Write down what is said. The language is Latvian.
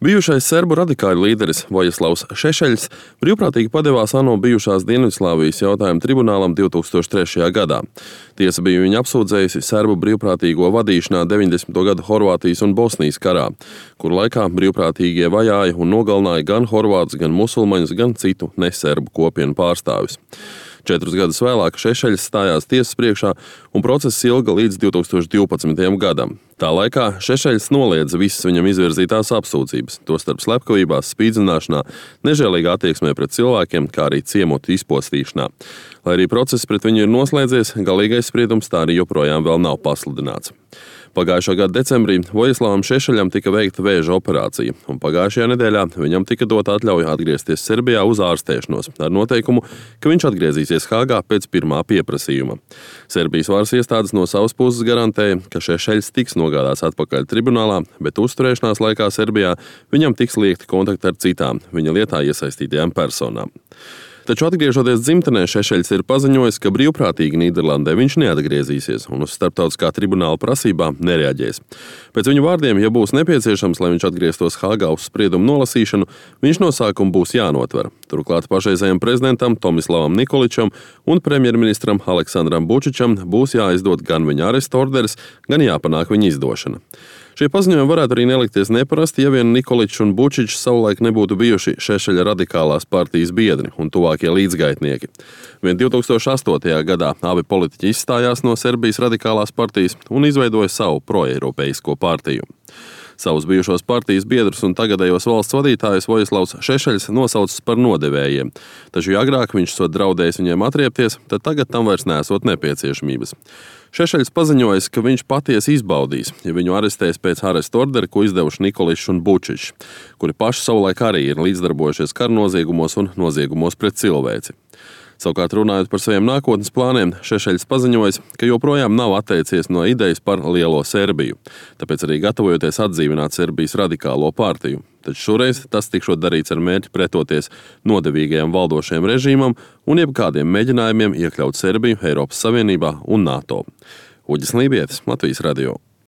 Bijušais serbu radikāļu līderis Vojislavs Šešeļs brīvprātīgi padevās ANO bijušās Dienvidslāvijas jautājumu tribunālam 2003. gadā. Tiesa bija viņu apsūdzējusi serbu brīvprātīgo vadīšanā 90. gadu Horvātijas un Bosnijas karā, kur laikā brīvprātīgie vajāja un nogalināja gan horvātus, gan musulmaņus, gan citu neserbu kopienu pārstāvjus. 4 gadus vēlāk Šešeļs stājās tiesas priekšā un process ilga līdz 2012. gadam. Tā laikā Šešeļs noliedza visas viņam izvirzītās apsūdzības, tostarp slepkavībās, spīdzināšanā, nežēlīgā attieksmē pret cilvēkiem, kā arī ciemotu izpostīšanā. Lai arī process pret viņu ir noslēdzies, galīgais spriedums tā arī joprojām vēl nav pasludināts. Pagājušā gada decembrī Vojislavam Šešeļam tika veikta vēža operācija, un pagājušajā nedēļā viņam tika dota atļauja atgriezties Serbijā uz ārstēšanos, ar noteikumu, ka viņš atgriezīsies Hāgā pēc pirmā pieprasījuma. Serbijas varas iestādes no savas puses garantēja, ka Šešeļs tiks nogādāts atpakaļ tribunālā, bet uzturēšanās laikā Serbijā viņam tiks liekti kontakti ar citām viņa lietā iesaistītajām personām. Taču atgriežoties dzimtenē, Šešeļs ir paziņojis, ka brīvprātīgi Nīderlandē viņš neatgriezīsies un uz starptautiskā tribunāla prasībām nereaģēs. Pēc viņu vārdiem, ja būs nepieciešams, lai viņš atgrieztos Hāgā uz spriedumu nolasīšanu, viņš no sākuma būs jānotver. Turklāt pašreizējam prezidentam Tomislavam Nikoličam un premjerministram Aleksandram Bučičam būs jāizdod gan viņa arestu orderis, gan jāpanāk viņa izdošana. Šie paziņojumi varētu arī nelikties neparasti, ja vien Nikoličs un Bučičs savulaik nebūtu bijuši Šešeļa radikālās partijas biedri un tuvākie līdzgaitnieki. Vien 2008. gadā abi politiķi izstājās no Serbijas radikālās partijas un izveidoja savu proeiropeisko partiju. Savus bijušos partijas biedrus un tagadējos valsts vadītājus Vojislavs Šešeļs nosaucis par nodevējiem, taču ja agrāk viņš sot draudējis viņiem atriepties, tad tagad tam vairs nesot nepieciešamības. Šešeļs paziņojis, ka viņš patiesi izbaudīs, ja viņu arestēs pēc arestu ordera, ko izdevuši Nikoličs un Bučičs, kuri paši savulaik arī ir līdzdarbojušies karnoziegumos un noziegumos pret cilvēci. Savukārt runājot par saviem nākotnes plāniem, Šešeļs paziņojis, ka joprojām nav atteicies no idejas par lielo Serbiju, tāpēc arī gatavojoties atdzīvināt Serbijas radikālo partiju. Taču šoreiz tas tikšot darīts ar mērķi pretoties nodevīgajam valdošajam režīmam un jebkādiem mēģinājumiem iekļaut Serbiju Eiropas Savienībā un NATO. Uģis Lībietis, Latvijas radio.